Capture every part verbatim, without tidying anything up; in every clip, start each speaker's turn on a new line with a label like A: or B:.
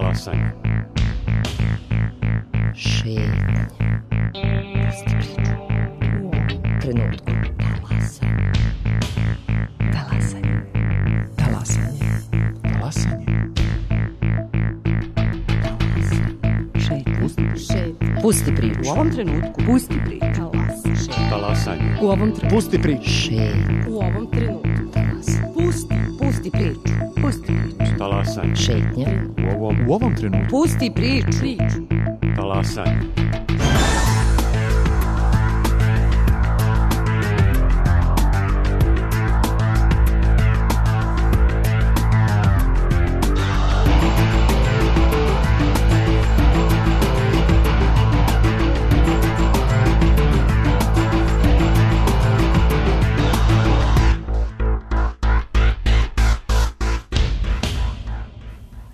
A: Talasanje.
B: Šetnje. Pusti priču. U ovom trenutku. Talasanje. Talasanje. Talasanje.
C: Talasanje.
B: Šetnje. Pusti priču.
D: U ovom trenutku. Pusti priču.
A: Talasanje.
D: U ovom trenutku.
C: Pusti priču.
B: Šetnje.
D: U ovom trenutku. Pusti. Pusti priču. Pusti priču.
A: Talasanje.
B: Šetnje.
A: U ovom,
C: U ovom trenutku.
D: Pusti priču. Priču.
A: talasanje.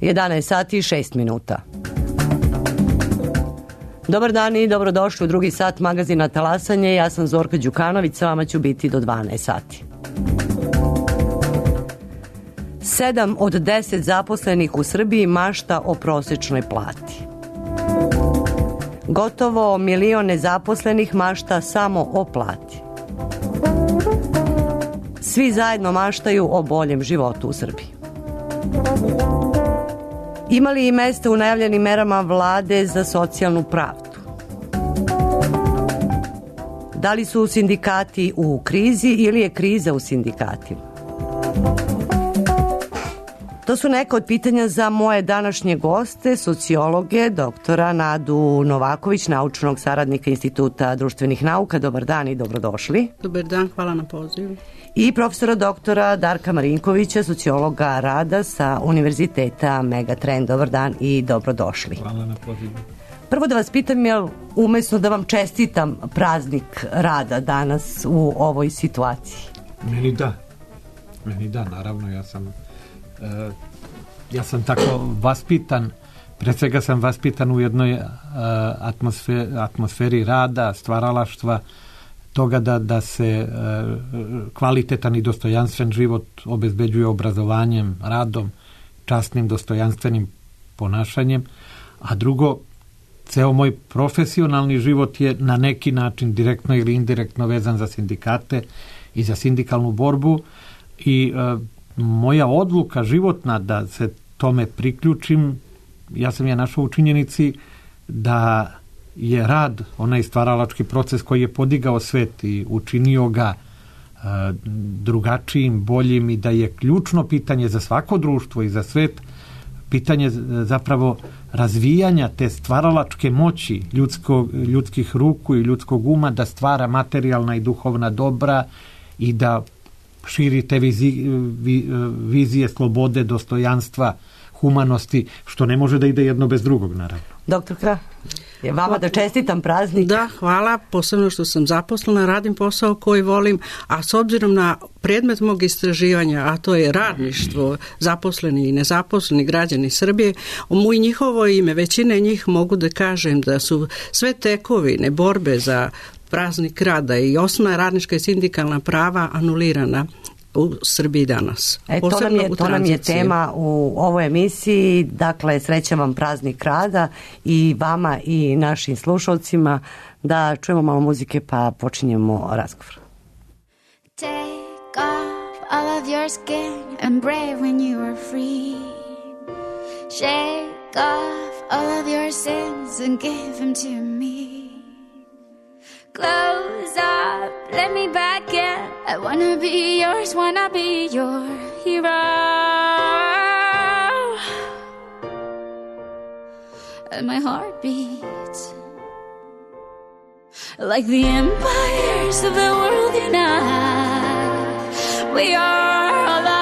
E: jedanaest sati i šest minuta. Dobar dan i dobrodošli u drugi sat magazina Talasanje. Ja sam Zorka Đukanović, sa vama ću biti do dvanaest sati. Sedam od deset zaposlenih u Srbiji mašta o prosečnoj plati. Gotovo milion nezaposlenih mašta samo o plati. Svi zajedno maštaju o boljem životu u Srbiji. Ima li i mesta u najavljenim merama vlade za socijalnu pravdu? Da li su sindikati u krizi ili je kriza u sindikatima? To su neka od pitanja za moje današnje goste, sociologe, doktora Nadu Novaković, naučnog saradnika Instituta društvenih nauka. Dobar dan i dobrodošli.
F: Dobar dan, hvala na pozivu.
E: I profesora doktora Darka Marinkovića, sociologa rada sa Univerziteta Megatrend. Dobar dan i dobrodošli.
C: Hvala na pozivu.
E: Prvo da vas pitam, jel umesno da vam čestitam praznik rada danas u ovoj situaciji?
C: Meni da. Meni da, naravno, ja sam uh, ja sam tako vaspitan, pre svega sam vaspitan u jednoj uh, atmosferi, atmosferi rada, stvaralaštva, toga da, da se uh, kvalitetan i dostojanstven život obezbeđuje obrazovanjem, radom, časnim, dostojanstvenim ponašanjem, a drugo, ceo moj profesionalni život je na neki način direktno ili indirektno vezan za sindikate i za sindikalnu borbu i uh, moja odluka životna da se tome priključim, ja sam je našao u činjenici da je rad onaj stvaralački proces koji je podigao svet i učinio ga uh, drugačijim, boljim i da je ključno pitanje za svako društvo i za svet pitanje zapravo razvijanja te stvaralačke moći ljudskog, ljudskih ruku i ljudskog uma da stvara materijalna i duhovna dobra i da širi te vizi, vi, vizije slobode, dostojanstva, humanosti, što ne može da ide jedno bez drugog, naravno.
E: Doktorka, je vama da čestitam praznik.
F: Da, hvala, posebno što sam zaposlena, radim posao koji volim, a s obzirom na predmet mog istraživanja, a to je radništvo, zaposleni i nezaposleni građani Srbije, u njihovo ime, većine njih mogu da kažem da su sve tekovine, borbe za praznik rada i osnovna radnička i sindikalna prava anulirana u Srbiji danas.
E: E, to, nam je, to nam je tema u ovoj emisiji. Dakle, srećan vam praznik rada i vama i našim slušalcima. Da čujemo malo muzike pa počinjemo razgovor.
G: Take off all of your skin and brave when you are free. Shake off all of your sins and give them to me. Close up, let me back in. I wanna be yours, wanna be your hero. And my heart beats like the empires of the world unite. We are alive,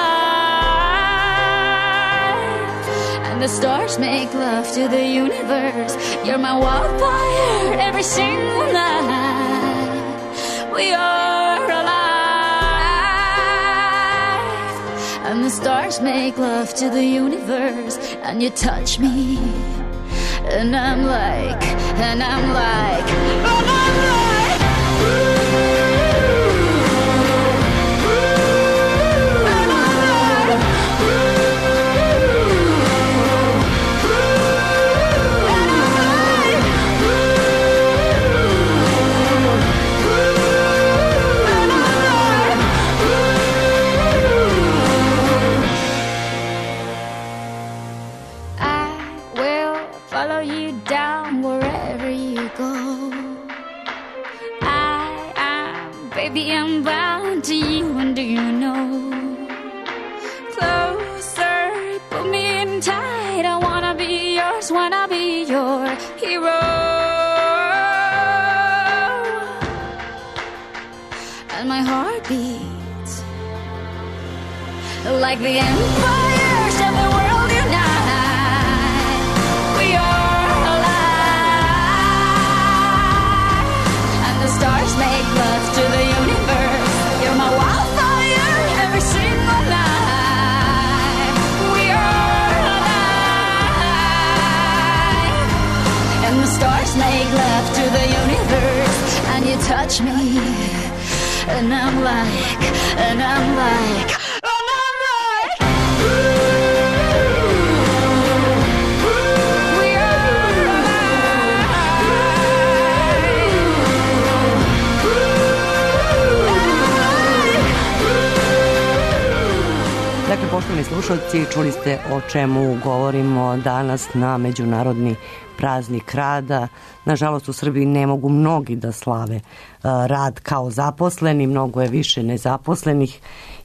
G: and the stars make love to the universe. You're my wildfire every single night. We are alive, and the stars make love to the universe. And you touch me, and I'm like, and I'm like, and I'm like, and I'm like, to you, and do you know? Closer, put me in tight. I wanna be yours, wanna be your hero. And my heart beats like the empires of the world unite. We are alive, and the stars make love to the universe. You're my wildfire every single night. We are alive, and the stars make love to the universe. And you touch me, and I'm like, and I'm like, and I'm like, ooh, we are alive.
E: Dakle, poštovani slušalci, čuli ste o čemu govorimo danas na Međunarodni praznik rada. Nažalost, u Srbiji ne mogu mnogi da slave rad kao zaposleni, mnogo je više nezaposlenih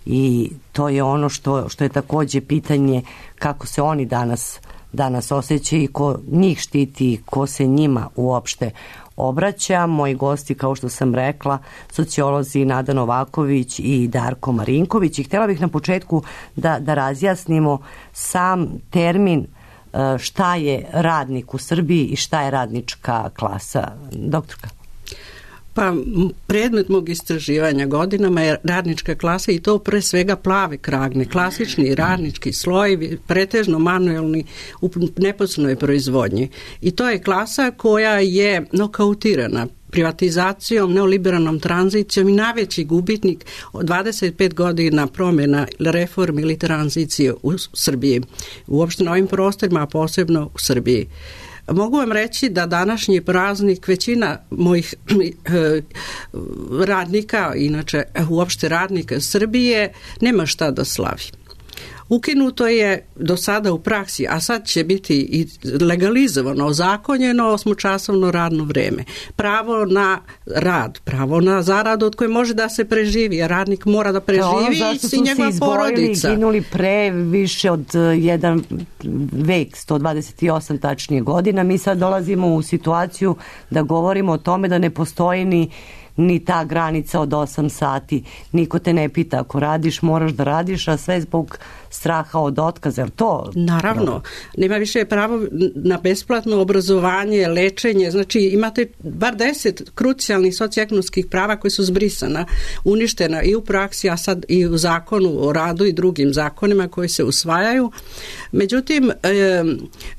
E: i to je ono što, što je takođe pitanje kako se oni danas, danas osjećaju i ko njih štiti, ko se njima uopšte obraća. Moji gosti, kao što sam rekla, sociolozi Nada Novaković i Darko Marinković. I htjela bih na početku da, da razjasnimo sam termin šta je radnik u Srbiji i šta je radnička klasa. Doktorka.
F: Pa predmet mog istraživanja godinama je radnička klasa i to pre svega plave kragne, klasični radnički slojevi, pretežno manuelni u neposrednoj proizvodnji. I to je klasa koja je nokautirana privatizacijom, neoliberalnom tranzicijom i najveći gubitnik od dvadeset pet godina promjena, reformi ili tranzicije u Srbiji. Uopšte na ovim prostorima, a posebno u Srbiji. Mogu vam reći da današnji praznik većina mojih radnika, inače uopšte radnika Srbije, nema šta da slavi. Ukinuto je do sada u praksi, a sad će biti i legalizovano, ozakonjeno osmočasovno radno vreme. Pravo na rad, pravo na zaradu od koje može da se preživi, jer radnik mora da preživi i njegova porodica.
E: Zašto su se izginuli pre više od jedan vek, sto dvadeset osam tačnije godina. Mi sad dolazimo u situaciju da govorimo o tome da ne postoji ni ni ta granica od osam sati. Niko te ne pita, ako radiš, moraš da radiš, a sve zbog straha od otkaza. Je to?
F: Naravno. Dobro. Nema više pravo na besplatno obrazovanje, lečenje. Znači, imate bar deset krucijalnih socioekonomskih prava koji su zbrisana, uništena i u praksi, a sad i u zakonu o radu i drugim zakonima koji se usvajaju. Međutim, e,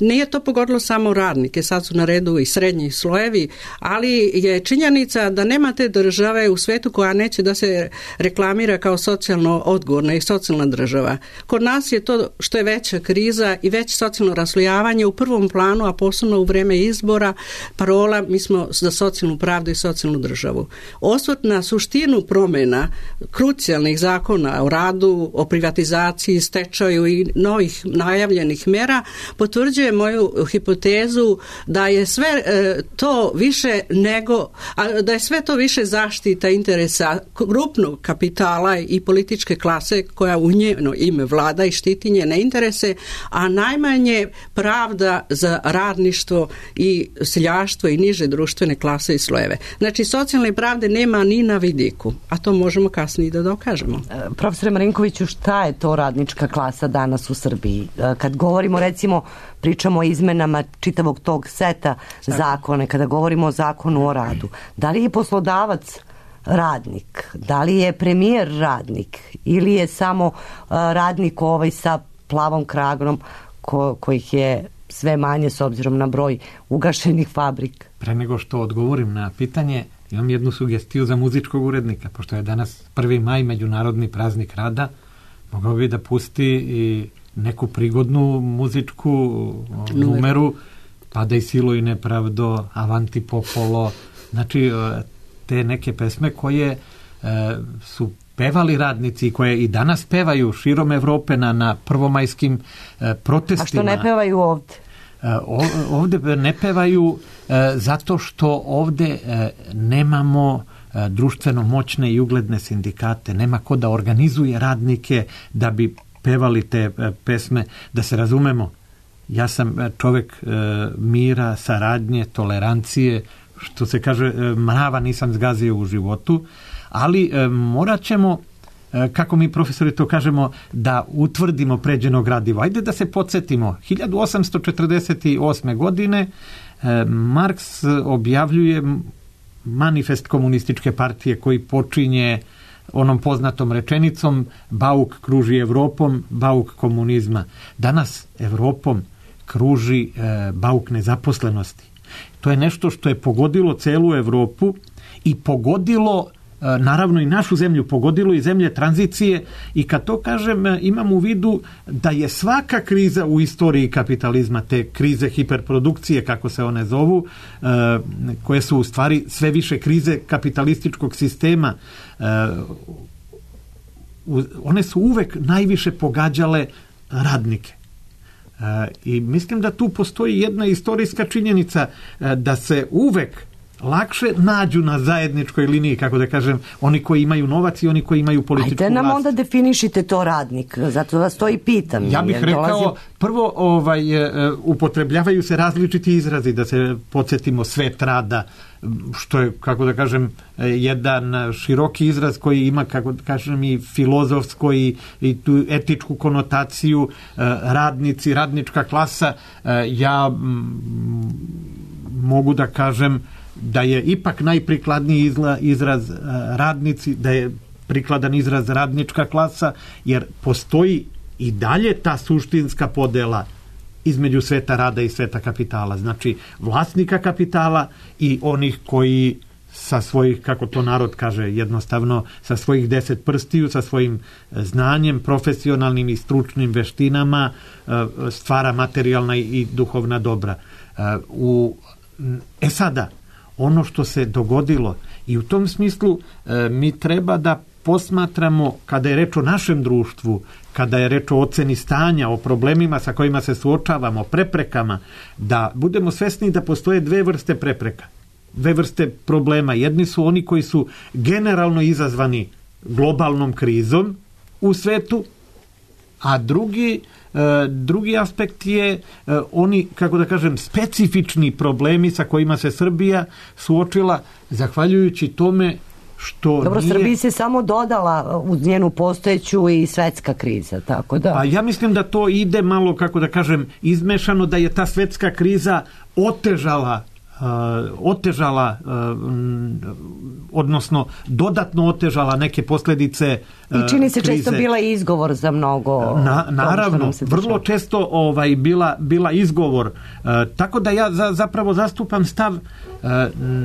F: nije to pogodilo samo radnike, sad su na redu i srednji slojevi, ali je činjenica da nemate države u svetu koja neće da se reklamira kao socijalno odgovorna i socijalna država. Kod nas je to što je veća kriza i veće socijalno raslojavanje u prvom planu, a posebno u vreme izbora, parola mi smo za socijalnu pravdu i socijalnu državu. Osvrt na suštinu promjena krucijalnih zakona o radu, o privatizaciji, stečaju i novih najavljenih mera potvrđuje moju hipotezu da je sve e, to više nego, a, da je sve to više zaštita interesa krupnog kapitala i političke klase koja u njeno ime vlada i štiti njene interese, a najmanje pravda za radništvo i seljaštvo i niže društvene klase i slojeve. Znači, socijalne pravde nema ni na vidiku, a to možemo kasnije da dokažemo.
E: Profesore Marinkoviću, šta je to radnička klasa danas u Srbiji? Kad govorimo, recimo, pričamo o izmenama čitavog tog seta zakona, kada govorimo o zakonu o radu, da li je poslodavac radnik, da li je premijer radnik ili je samo uh, radnik ovaj sa plavom kragnom ko, kojih je sve manje s obzirom na broj ugašenih fabrika?
C: Pre nego što odgovorim na pitanje, imam jednu sugestiju za muzičkog urednika, pošto je danas prvi maj, Međunarodni praznik rada, mogao bi da pusti i neku prigodnu muzičku numeru, Pada i silo i nepravdo, Avanti popolo, znači te neke pesme koje e, su pevali radnici i koje i danas pevaju širom Evrope na, na prvomajskim e, protestima.
E: A što ne pevaju ovde?
C: E, ovde ne pevaju e, zato što ovde e, nemamo društveno moćne i ugledne sindikate, nema ko da organizuje radnike da bi pevali te pesme, da se razumemo. Ja sam čovjek mira, saradnje, tolerancije, što se kaže, mrava nisam zgazio u životu, ali morat ćemo, kako mi profesori to kažemo, da utvrdimo pređeno gradivo. Ajde da se podsjetimo. hiljadu osamsto četrdeset osme. godine Marks objavljuje manifest komunističke partije koji počinje onom poznatom rečenicom Bauk kruži Evropom, bauk komunizma. Danas Evropom kruži e, bauk nezaposlenosti. To je nešto što je pogodilo celu Evropu i pogodilo e, naravno i našu zemlju, pogodilo i zemlje tranzicije, i kad to kažem imam u vidu da je svaka kriza u istoriji kapitalizma, te krize hiperprodukcije kako se one zovu, e, koje su u stvari sve više krize kapitalističkog sistema, e, one su uvek najviše pogađale radnike. I mislim da tu postoji jedna istorijska činjenica, da se uvek lakše nađu na zajedničkoj liniji, kako da kažem, oni koji imaju novac i oni koji imaju političku vlast.
E: Ajde nam onda definišite to radnik, zato vas to i pitam.
C: Ja bih rekao, dolazim... prvo ovaj, upotrebljavaju se različiti izrazi, da se podsjetimo svet rada, što je, kako da kažem, jedan široki izraz koji ima, kako da kažem, i filozofsko i, i tu etičku konotaciju, radnici, radnička klasa. Ja m, mogu da kažem da je ipak najprikladniji izraz radnici, da je prikladan izraz radnička klasa, jer postoji i dalje ta suštinska podela između sveta rada i sveta kapitala. Znači, vlasnika kapitala i onih koji sa svojih, kako to narod kaže jednostavno, sa svojih deset prstiju, sa svojim znanjem, profesionalnim i stručnim veštinama stvara materijalna i duhovna dobra. U, e sada, ono što se dogodilo, i u tom smislu e, mi treba da posmatramo, kada je reč o našem društvu, kada je reč o oceni stanja, o problemima sa kojima se suočavamo, preprekama, da budemo svesni da postoje dve vrste prepreka, dve vrste problema. Jedni su oni koji su generalno izazvani globalnom krizom u svetu, a drugi drugi aspekt je oni, kako da kažem, specifični problemi sa kojima se Srbija suočila zahvaljujući tome što
E: Dobro,
C: nije...
E: Srbiji se samo dodala uz njenu postojeću i svetska kriza, tako da...
C: Pa ja mislim da to ide malo, kako da kažem, izmešano, da je ta svetska kriza otežala Uh, otežala, uh, odnosno dodatno otežala neke posljedice uh,
E: i čini se
C: krize.
E: Često bila izgovor za mnogo.
C: Na, naravno, vrlo često ovaj, bila, bila izgovor. Uh, tako da ja za, zapravo zastupam stav, uh,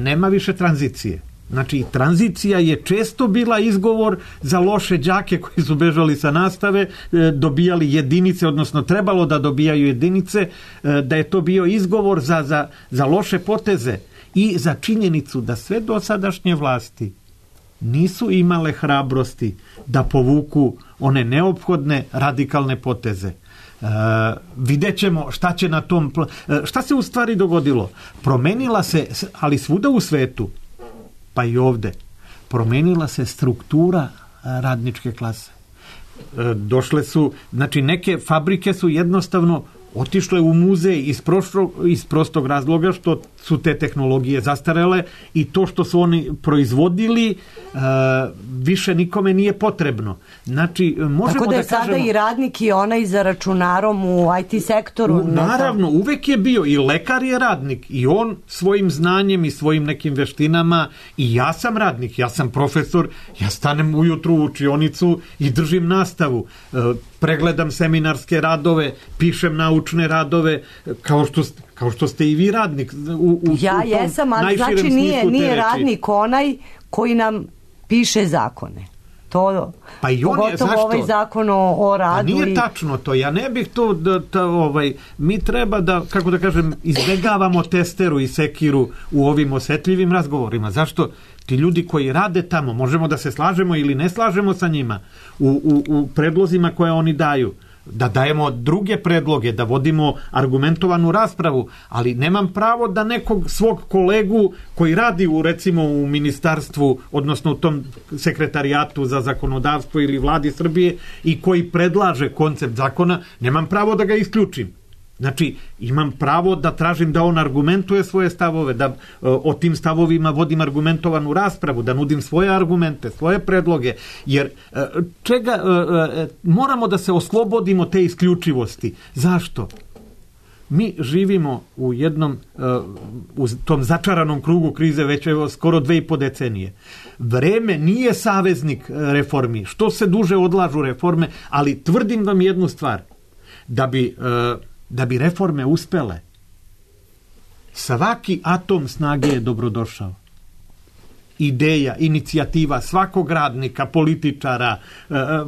C: nema više tranzicije. Znači, tranzicija je često bila izgovor za loše đake koji su bežali sa nastave, dobijali jedinice, odnosno trebalo da dobijaju jedinice, da je to bio izgovor za, za, za loše poteze i za činjenicu da sve dosadašnje vlasti nisu imale hrabrosti da povuku one neophodne radikalne poteze. Uh, vidjet ćemo šta će na tom... Pl- šta se u stvari dogodilo? Promenila se, ali svuda u svetu, pa i ovde, promenila se struktura radničke klase. Došle su, znači neke fabrike su jednostavno otišle u muzej iz, prošlo, iz prostog razloga što su te tehnologije zastarele i to što su oni proizvodili uh, više nikome nije potrebno. Znači, možemo
E: tako da je
C: da
E: sada
C: kažemo,
E: i radnik i onaj za računarom u I T sektoru.
C: U, naravno, uvek je bio i lekar je radnik i on svojim znanjem i svojim nekim veštinama, i ja sam radnik, ja sam profesor, ja stanem ujutru u učionicu i držim nastavu, uh, pregledam seminarske radove, pišem naučne radove, kao što, kao što ste i vi radnik. U, u,
E: ja
C: u
E: jesam, ali znači nije, nije radnik onaj koji nam piše zakone. To,
C: pa i on je, zašto?
E: Ovaj zakon o, o radu.
C: Pa nije
E: i...
C: tačno to, ja ne bih to, da, da, ovaj, mi treba da, kako da kažem, izbegavamo testeru i sekiru u ovim osetljivim razgovorima. Zašto? Ti ljudi koji rade tamo, možemo da se slažemo ili ne slažemo sa njima u, u, u predlozima koje oni daju, da dajemo druge predloge, da vodimo argumentovanu raspravu, ali nemam pravo da nekog svog kolegu koji radi u, recimo, u ministarstvu, odnosno u tom sekretarijatu za zakonodavstvo ili vladi Srbije i koji predlaže koncept zakona, nemam pravo da ga isključim. Znači, imam pravo da tražim da on argumentuje svoje stavove, da o tim stavovima vodim argumentovanu raspravu, da nudim svoje argumente, svoje predloge, jer čega, moramo da se oslobodimo te isključivosti. Zašto? Mi živimo u jednom, u tom začaranom krugu krize već evo skoro dve i po decenije. Vreme nije saveznik reformi. Što se duže odlažu reforme, ali tvrdim vam jednu stvar, da bi da bi reforme uspele, svaki atom snage je dobrodošao. Ideja, inicijativa svakog radnika, političara,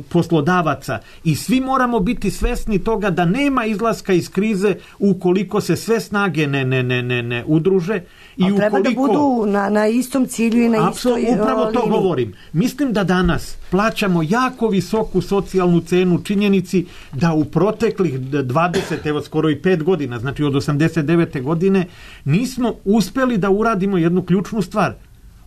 C: poslodavaca i svi moramo biti svesni toga da nema izlaska iz krize ukoliko se sve snage ne, ne, ne, ne, ne udruže. I
E: ukoliko, treba da budu na, na istom cilju i na
C: apsolutno,
E: istoj
C: upravo to
E: liniji.
C: Govorim. Mislim da danas plaćamo jako visoku socijalnu cenu činjenici da u proteklih dvadeset, evo skoro i pet godina, znači od osamdeset devete godine, nismo uspeli da uradimo jednu ključnu stvar.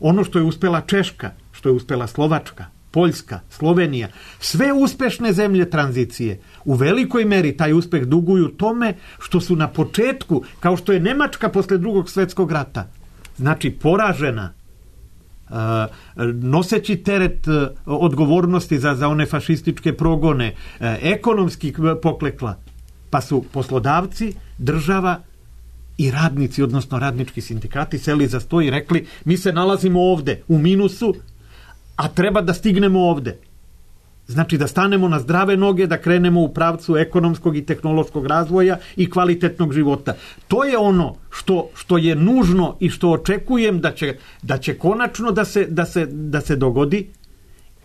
C: Ono što je uspela Češka, što je uspela Slovačka, Poljska, Slovenija, sve uspešne zemlje tranzicije u velikoj meri taj uspeh duguju tome što su na početku, kao što je Nemačka posle drugog svjetskog rata, znači poražena, noseći teret odgovornosti za, za one fašističke progone, ekonomski poklekla, pa su poslodavci, država i radnici, odnosno radnički sindikati seli za sto i rekli mi se nalazimo ovde u minusu, a treba da stignemo ovde. Znači da stanemo na zdrave noge, da krenemo u pravcu ekonomskog i tehnološkog razvoja i kvalitetnog života. To je ono što, što je nužno i što očekujem da će, da će konačno da se, da se, da se dogodi.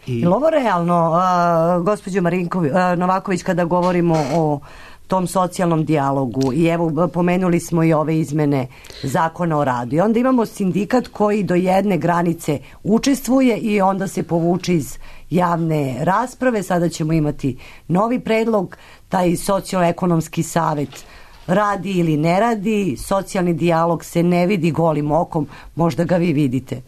C: I... Je li ovo realno, uh, gospođo Marinković, uh, Novaković, kada govorimo o tom socijalnom dijalogu i evo pomenuli smo i ove izmene zakona o radu i onda imamo sindikat koji do jedne granice učestvuje i onda se povuče iz javne rasprave, sada ćemo imati novi predlog, taj socioekonomski savet radi ili ne radi, socijalni dijalog se ne vidi golim okom, možda ga vi vidite.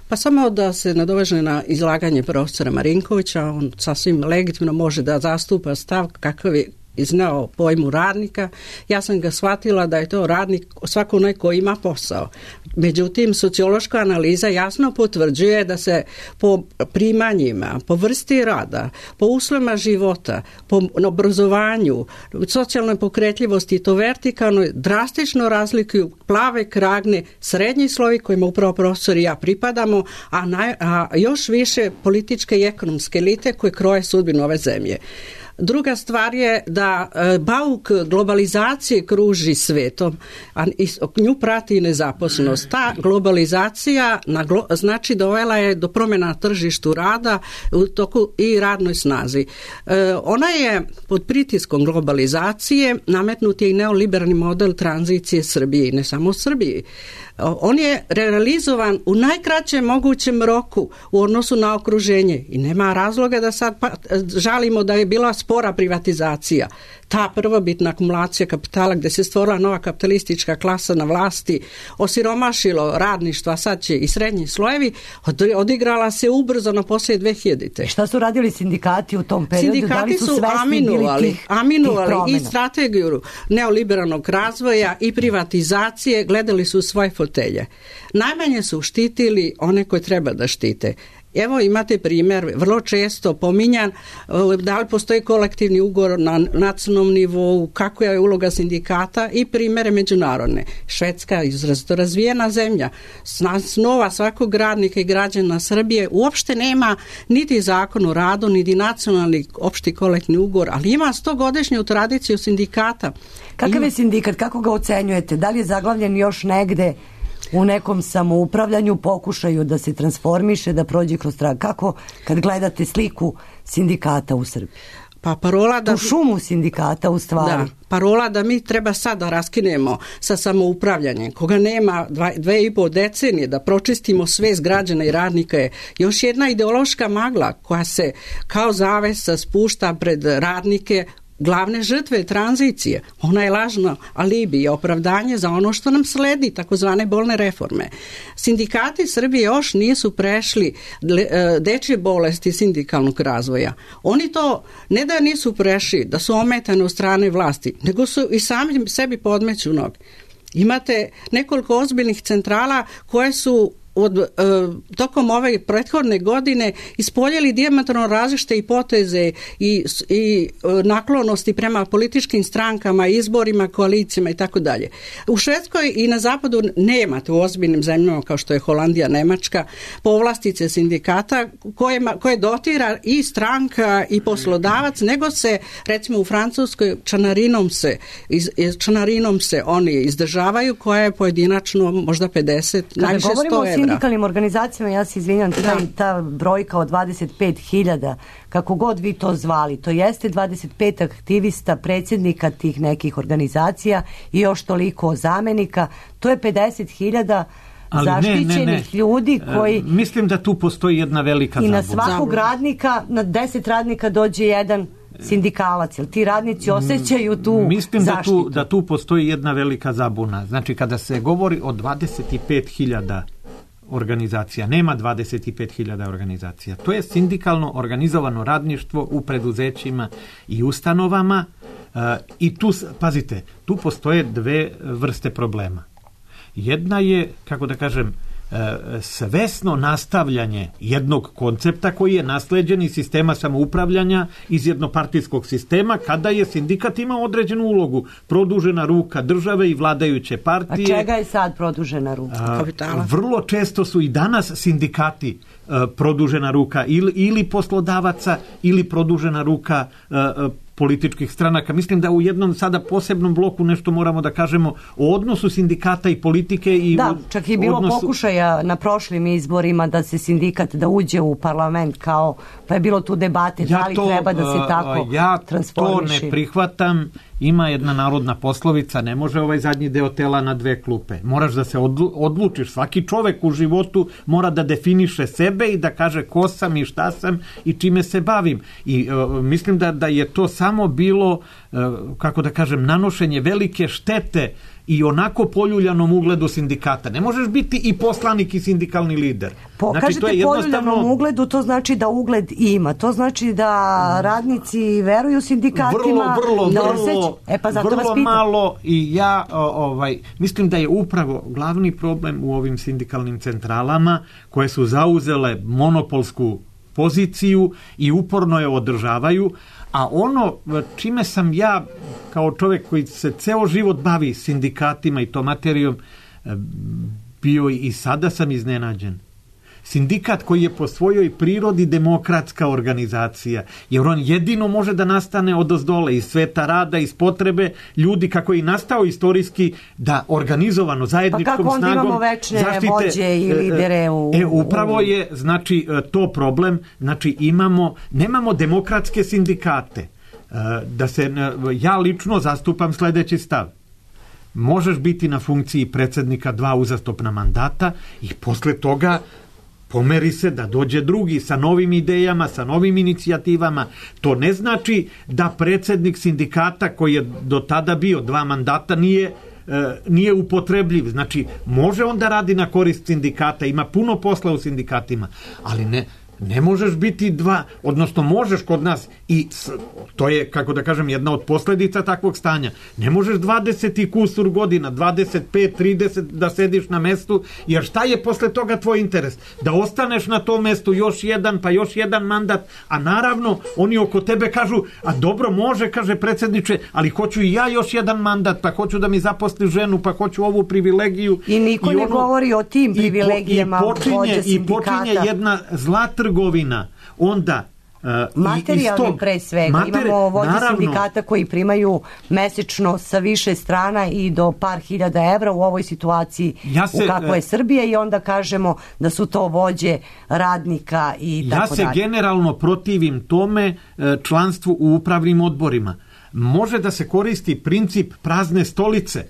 F: Pa samo da se nadoveže na izlaganje profesora Marinkovića, on sasvim legitimno može da zastupa stav kakav je izneo pojmu radnika. Ja sam ga shvatila da je to radnik svako onaj ko ima posao. Međutim, sociološka analiza jasno potvrđuje da se po primanjima, po vrsti rada, po uslovima života, po obrazovanju, socijalnoj pokretljivosti i to vertikalno drastično razlikuju plave kragne, srednji slovi kojima upravo profesor i ja pripadamo, a, naj, a još više političke i ekonomske elite koje kroje sudbinu ove zemlje. Druga stvar je da e, bauk globalizacije kruži svetom, a nju prati i nezaposlenost. Ta globalizacija na glo, znači dovela je do promjena na tržištu rada u toku i radnoj snazi. E, ona je pod pritiskom globalizacije nametnut je i neoliberalni model tranzicije Srbije i ne samo Srbiji. On je realizovan u najkraćem mogućem roku u odnosu na okruženje i nema razloga da sad pa, žalimo da je bila spora privatizacija. Ta prvobitna akumulacija kapitala gdje se stvorila nova kapitalistička klasa na vlasti, osiromašilo radništvo, a sad će i srednji slojevi, odigrala se ubrzano poslije dve hiljadite.
E: Šta su radili sindikati u tom periodu?
F: Sindikati
E: da li su,
F: su
E: svesni
F: aminovali,
E: bili tih,
F: aminovali
E: tih
F: i strategiju neoliberalnog razvoja i privatizacije, gledali su svoje fotelje. Najmanje su štitili one koje treba da štite. Evo imate primjer, vrlo često pominjan, da li postoji kolektivni ugovor na nacionalnom nivou, kako je uloga sindikata i primjere međunarodne. Švedska je izrazito razvijena zemlja. Snova svakog radnika i građana Srbije uopšte nema niti zakon o radu, niti nacionalni opšti kolektivni ugovor, ali ima stogodišnju tradiciju sindikata.
E: Kakav
F: ima...
E: je sindikat, kako ga ocenjujete? Da li je zaglavljen još negde u nekom samoupravljanju, pokušaju da se transformiše, da prođe kroz trag? Kako kad gledate sliku sindikata u Srbiji?
F: Pa parola da...
E: Tu šumu sindikata u stvari.
F: Da, parola da mi treba sad da raskinemo sa samoupravljanjem, koga nema dva, dve i pol decenije, da pročistimo svest građana i radnika je još jedna ideološka magla koja se kao zavesa spušta pred radnike glavne žrtve tranzicije. Ona je lažno alibi i opravdanje za ono što nam sledi, takozvane bolne reforme. Sindikati Srbije još nisu prešli dečje bolesti sindikalnog razvoja. Oni to ne da nisu prešli, da su ometane od strane vlasti, nego su i sami sebi podmeću noge. Imate nekoliko ozbiljnih centrala koje su od, e, tokom ove prethodne godine ispoljili dijametralno različite hipoteze i, i naklonosti prema političkim strankama, izborima, koalicijama i tako dalje. U Švedskoj i na zapadu nemate u ozbiljnim zemljama kao što je Holandija, Nemačka, povlastice sindikata koje, koje dotira i stranka i poslodavac, nego se recimo u Francuskoj članarinom se, iz, članarinom se oni izdržavaju, koja je pojedinačno možda pedeset, najviše sto evra.
E: Sindikalnim organizacijama, ja se izvinjam, ta, ta brojka od dvadeset pet hiljada, kako god vi to zvali, to jeste dvadeset pet aktivista, predsjednika tih nekih organizacija i još toliko zamenika, to je pedeset hiljada zaštićenih ne, ne, ne. ljudi koji...
C: E, mislim da tu postoji jedna velika zabuna.
E: I na svakog radnika, na deset radnika dođe jedan sindikalac, jer ti radnici osjećaju tu
C: Mislim
E: zaštitu.
C: Mislim da tu, da tu postoji jedna velika zabuna. Znači, kada se govori o dvadeset pet hiljada organizacija, nema dvadeset pet hiljada organizacija. To je sindikalno organizovano radništvo u preduzećima i ustanovama uh, i tu, pazite, tu postoje dve vrste problema. Jedna je, kako da kažem, svesno nastavljanje jednog koncepta koji je nasleđen iz sistema samoupravljanja, iz jednopartijskog sistema, kada je sindikat imao određenu ulogu, produžena ruka države i vladajuće partije.
E: A čega je sad produžena ruka?
F: Kapitala.
C: Vrlo često su i danas sindikati produžena ruka ili, ili poslodavaca ili produžena ruka političkih stranaka. Mislim da u jednom sada posebnom bloku nešto moramo da kažemo o odnosu sindikata i politike. I
E: da, čak je bilo
C: odnosu...
E: pokušaja na prošlim izborima da se sindikat da uđe u parlament, kao, pa je bilo tu debate
C: ja
E: da li
C: to,
E: treba da se tako
C: ja
E: transformiše.
C: Ja to ne prihvatam. Ima jedna narodna poslovica, ne može ovaj zadnji deo tela na dve klupe. Moraš da se odlučiš. Svaki čovek u životu mora da definiše sebe i da kaže ko sam i šta sam i čime se bavim. I uh, mislim da, da je to samo bilo, uh, kako da kažem, nanošenje velike štete i onako poljuljanom ugledu sindikata. Ne možeš biti i poslanik i sindikalni lider.
E: Po,
C: znači,
E: kažete
C: to je jednostavno...
E: poljuljnom ugledu, to znači da ugled ima. To znači da radnici veruju sindikatima.
C: Vrlo, vrlo,
E: da
C: vrlo,
E: osjeć... e, pa zato
C: vrlo
E: vas pitam.
C: malo i ja ovaj, mislim da je upravo glavni problem u ovim sindikalnim centralama koje su zauzele monopolsku poziciju i uporno je održavaju, a ono čime sam ja kao čovjek koji se ceo život bavi sindikatima i to materijom bio i sada sam iznenađen. Sindikat koji je po svojoj prirodi demokratska organizacija, jer on jedino može da nastane odozdola iz sveta rada, iz potrebe ljudi kako je nastao istorijski da organizovano zajedničkom snagom
E: pa kako onda imamo večne zaštite, vođe i lidere u...
C: E, upravo je, znači, to problem, znači imamo, nemamo demokratske sindikate. Da se, ja lično zastupam sljedeći stav. Možeš biti na funkciji predsjednika dva uzastopna mandata i posle toga pomeri se da dođe drugi sa novim idejama, sa novim inicijativama. To ne znači da predsjednik sindikata koji je do tada bio dva mandata nije, e, nije upotrebljiv. Znači, može on da radi na korist sindikata, ima puno posla u sindikatima, ali ne... Ne možeš biti dva, odnosno možeš kod nas i to je, kako da kažem, jedna od posljedica takvog stanja. Ne možeš dvadeset i kusur godina, dvadeset pet, trideset da sediš na mestu, jer šta je posle toga tvoj interes? Da ostaneš na tom mestu još jedan, pa još jedan mandat, a naravno oni oko tebe kažu, a dobro može, kaže predsjedniče, ali hoću i ja još jedan mandat, pa hoću da mi zaposli ženu, pa hoću ovu privilegiju.
E: I niko
C: I
E: ne
C: ono,
E: govori o tim privilegijama.
C: I, po, i, počinje, i počinje jedna zla trgovina, onda uh,
E: materijalni
C: istog,
E: pre svega. Materi... Imamo vođe naravno, sindikata koji primaju mesečno sa više strana i do par hiljada evra u ovoj situaciji ja se, u kakvoj je Srbija i onda kažemo da su to vođe radnika i tako dalje.
C: Ja se generalno protivim tome članstvu u upravnim odborima. Može da se koristi princip prazne stolice.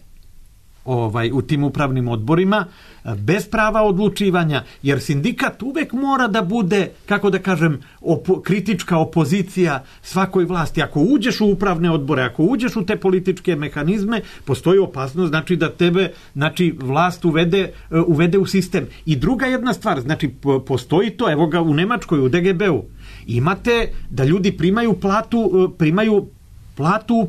C: ovaj, u tim upravnim odborima, bez prava odlučivanja, jer sindikat uvek mora da bude, kako da kažem, opo, kritička opozicija svakoj vlasti. Ako uđeš u upravne odbore, ako uđeš u te političke mehanizme, postoji opasnost, znači da tebe, znači vlast uvede, uvede u sistem. I druga jedna stvar, znači postoji to, evo ga u Nemačkoj, u D G B-u, imate da ljudi primaju platu, primaju platu,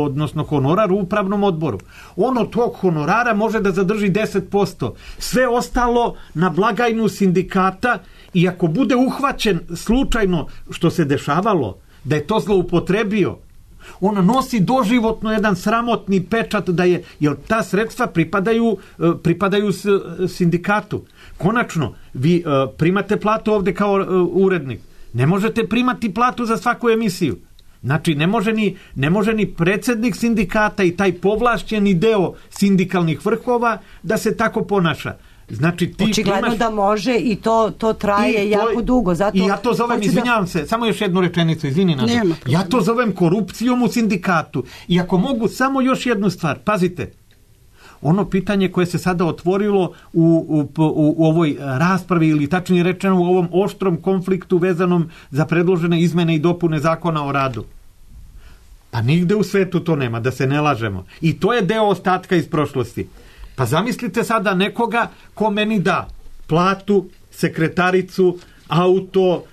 C: odnosno honorar u upravnom odboru. On od tog honorara može da zadrži deset posto. Sve ostalo na blagajnu sindikata, i ako bude uhvaćen slučajno, što se dešavalo, da je to zloupotrebio, on nosi doživotno jedan sramotni pečat da je, jer ta sredstva pripadaju, pripadaju sindikatu. Konačno, vi primate platu ovde kao urednik. Ne možete primati platu za svaku emisiju. Znači, ne može ni, ne može ni predsjednik sindikata i taj povlašćeni deo sindikalnih vrhova da se tako ponaša. Znači, ti
E: očigledno primaš... da može i to, to traje
C: I
E: jako
C: to,
E: dugo. Zato
C: I ja to zovem, izvinjavam da... se, samo još jednu rečenicu, izvini nas. Ja to zovem korupcijom u sindikatu. I ako mogu samo još jednu stvar, pazite, ono pitanje koje se sada otvorilo u, u, u, u ovoj raspravi, ili tačnije rečeno u ovom oštrom konfliktu vezanom za predložene izmene i dopune zakona o radu. Pa nigde u svetu to nema, da se ne lažemo. I to je deo ostatka iz prošlosti. Pa zamislite sada nekoga ko meni da platu, sekretaricu, auto,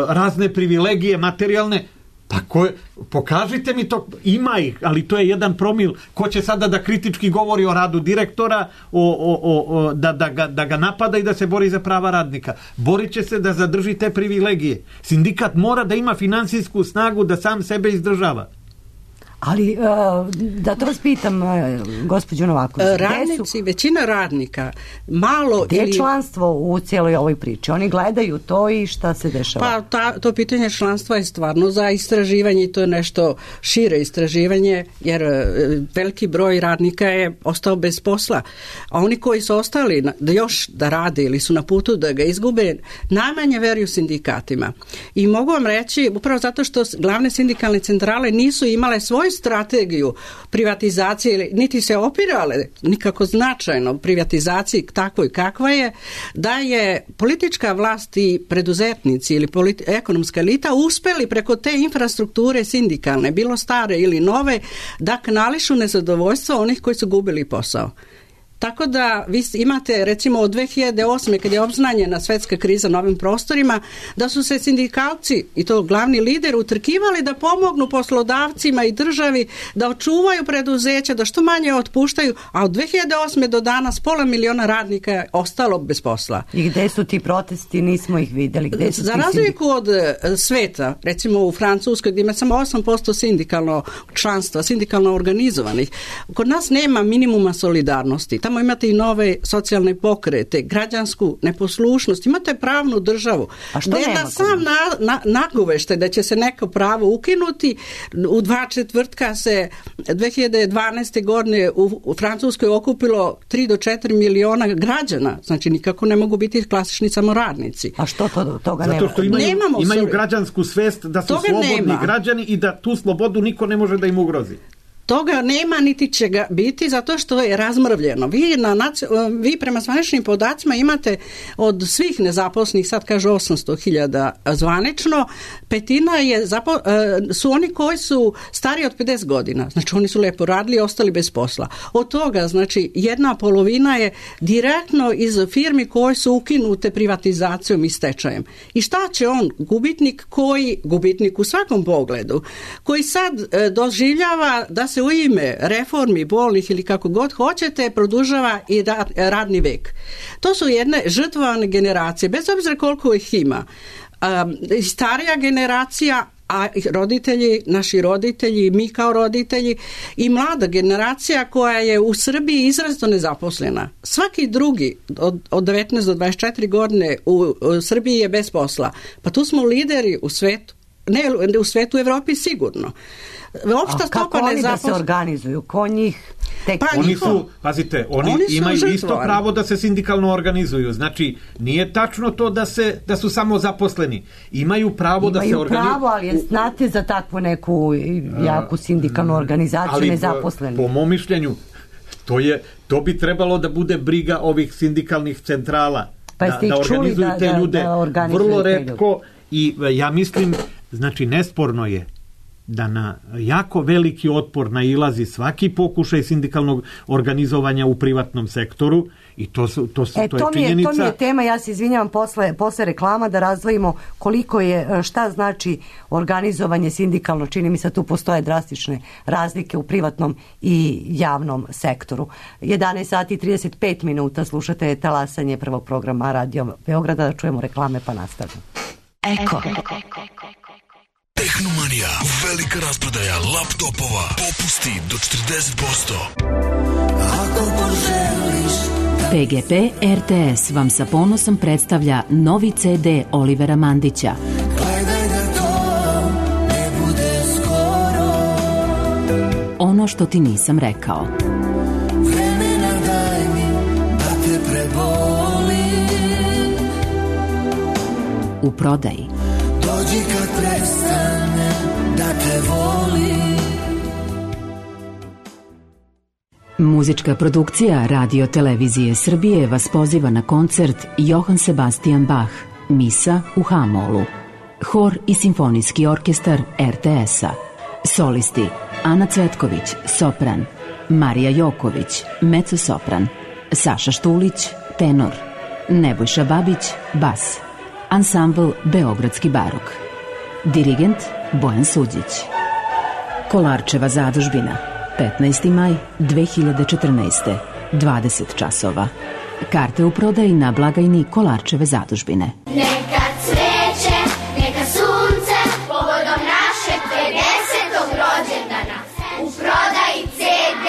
C: razne privilegije materijalne. Pa ko, pokažite mi to, ima ih, ali to je jedan promil. Ko će sada da kritički govori o radu direktora, o, o, o, da, da, ga, da ga napada i da se bori za prava radnika? Borit će se da zadrži te privilegije. Sindikat mora da ima finansijsku snagu da sam sebe izdržava.
E: Ali, da to vas pitam, gospođo Novaković,
F: radnici, su, većina radnika, malo
E: gdje ili... je članstvo u cijeloj ovoj priči? Oni gledaju to i šta se dešava?
F: Pa ta, to pitanje članstva je stvarno za istraživanje i to je nešto šire istraživanje, jer veliki broj radnika je ostao bez posla. A oni koji su ostali da još da rade ili su na putu da ga izgube, najmanje veruju sindikatima. I mogu vam reći, upravo zato što glavne sindikalne centrale nisu imale svoj strategiju privatizacije, niti se opirale nikako značajno privatizaciji takvoj kakva je, da je politička vlast i preduzetnici ili politi- ekonomska elita uspeli preko te infrastrukture sindikalne, bilo stare ili nove, da kanališu nezadovoljstvo onih koji su gubili posao. Tako da vi imate recimo od dve hiljade osme kad je obznanjena svetska kriza na ovim prostorima, da su se sindikalci i to glavni lider utrkivali da pomognu poslodavcima i državi da očuvaju preduzeća, da što manje otpuštaju, a od dve hiljade osme do danas pola miliona radnika je ostalo bez posla.
E: I gde su ti protesti? Nismo ih vidjeli. Gde su
F: Za razliku od sveta, recimo u Francuskoj gdje ima samo osam posto sindikalno članstva, sindikalno organizovanih, kod nas nema minimuma solidarnosti. Tamo imate i nove socijalne pokrete, građansku neposlušnost, imate pravnu državu.
E: A što nema?
F: Da sam na, na, nagovešte da će se neko pravo ukinuti, u dva četvrtka se dve hiljade dvanaeste godine u, u Francuskoj okupilo tri do četiri miliona građana, znači nikako ne mogu biti klasični samoradnici.
E: A što to, toga nema?
C: Zato što imaju,
F: Nemamo
C: imaju građansku svest da su
F: toga
C: slobodni
F: nema.
C: građani i da tu slobodu niko ne može da im ugrozi.
F: Toga nema niti će ga biti zato što je razmrvljeno. Vi, na, vi prema zvaničnim podacima imate od svih nezaposlenih, sad kažu osamsto hiljada zvanično, petina je zapo, su oni koji su stariji od pedeset godina. Znači oni su lepo radili i ostali bez posla. Od toga, znači, jedna polovina je direktno iz firmi koje su ukinute privatizacijom i stečajem. I šta će on? Gubitnik koji, gubitnik u svakom pogledu, koji sad doživljava da se u ime reformi bolnih ili kako god hoćete produžava i radni vek. To su jedne žrtvovane generacije, bez obzira koliko ih ima. Um, starija generacija, a roditelji, naši roditelji, mi kao roditelji i mlada generacija koja je u Srbiji izrazito nezaposlena. Svaki drugi od, od devetnaest do dvadeset četiri godine u, u Srbiji je bez posla. Pa tu smo lideri u svetu. Ne, u svetu, u Evropi sigurno.
E: Opšta stopa oni da se organizuju? Ko njih tek...
C: Pa oni su, pazite, oni, oni imaju žrtvovani. Isto pravo da se sindikalno organizuju. Znači, nije tačno to da se da su samo zaposleni. Imaju pravo imaju da se organizuju.
E: Imaju pravo, ali znate za takvu neku jaku sindikalnu organizaciju
C: ali
E: nezaposleni.
C: Po, po mom mišljenju, To, je, to bi trebalo da bude briga ovih sindikalnih centrala.
E: Pa
C: da, da organizuju
E: da,
C: te
E: da,
C: ljude
E: da
C: vrlo retko i ja mislim, znači nesporno je da na jako veliki otpor nailazi svaki pokušaj sindikalnog organizovanja u privatnom sektoru i to, su, to, su,
E: e,
C: to,
E: to
C: je činjenica.
E: Je, to mi je tema, ja se izvinjavam posle, posle reklama da razdvojimo koliko je, šta znači organizovanje sindikalno, čini mi se tu postoje drastične razlike u privatnom i javnom sektoru. jedanaest sati i trideset pet minuta slušate talasanje prvog programa Radio Beograda, da čujemo reklame pa nastavljamo.
B: Eko.
H: Tehnomanija, velika rasprodaja laptopova, popusti do četrdeset posto. Ako poželiš
I: P G P R T S vam sa ponosom predstavlja novi C D Olivera Mandića.
H: Gledaj da to ne bude skoro.
I: Ono što ti nisam rekao.
H: Vremena daj mi da te prebolim.
I: U prodaji.
H: Dođi kad prestane da te volim.
I: Muzička produkcija Radio Televizije Srbije vas poziva na koncert Johann Sebastian Bach, Misa u H-molu. Hor i simfonijski orkestar R T S-a. Solisti Ana Cvetković, sopran, Marija Joković, mezzosopran, Saša Štulić, tenor, Nebojša Babić, bas. Ansambl Beogradski barok. Dirigent Bojan Suđić. Kolarčeva zadužbina. petnaesti maj dve hiljade četrnaeste. dvadeset časova. Karte u prodaji na blagajni Kolarčeve zadužbine.
G: Neka cveće, neka sunce, povodom našeg pedesetog rođendana. U prodaji C D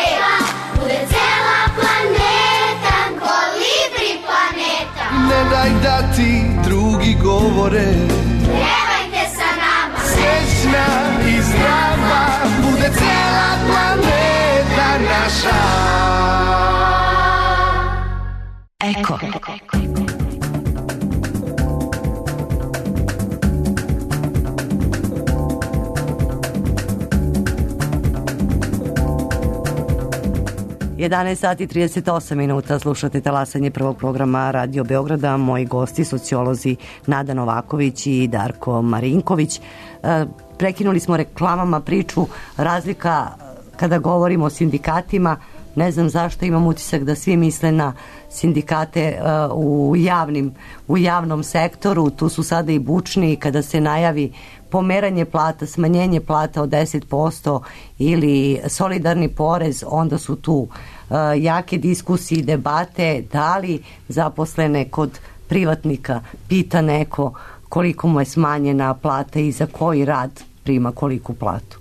G: bude cela planeta, kolibri planeta.
J: Ne daj da ti drugi govore,
G: Pjevajte sa nama,
J: srećna i zdrava, bude cela planeta naša.
B: Eko.
E: jedanaest sati i trideset osam minuta slušate talasanje prvog programa Radio Beograda. Moji gosti, sociolozi Nada Novaković i Darko Marinković. Prekinuli smo reklamama priču, razlika kada govorimo o sindikatima. Ne znam zašto imam utisak da svi misle na sindikate u, javnim, u javnom sektoru. Tu su sada i bučni kada se najavi pomeranje plata, smanjenje plata od deset posto ili solidarni porez, onda su tu uh, jake diskusije i debate da li zaposlene kod privatnika pita neko koliko mu je smanjena plata i za koji rad prima koliku platu.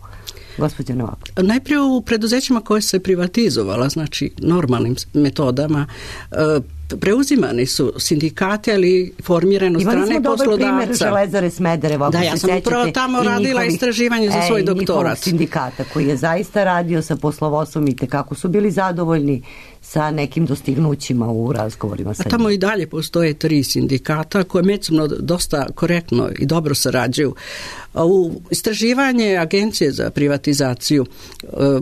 E: Gospođo Novak.
F: Najprije u preduzećima koje se privatizovala, znači normalnim metodama, preuzimani su sindikati, ali formirano strane poslodavca.
E: Imali smo dobar primjer Železare Smederevo.
F: Da, ja sam upravo tamo radila istraživanje za svoj doktorat. I njihovog
E: sindikata koji je zaista radio sa poslovodstvom i tekako su bili zadovoljni sa nekim dostignućima u razgovorima sa njima.
F: Tamo i dalje postoje tri sindikata koje međusobno dosta korektno i dobro sarađuju. U istraživanje Agencije za privatizaciju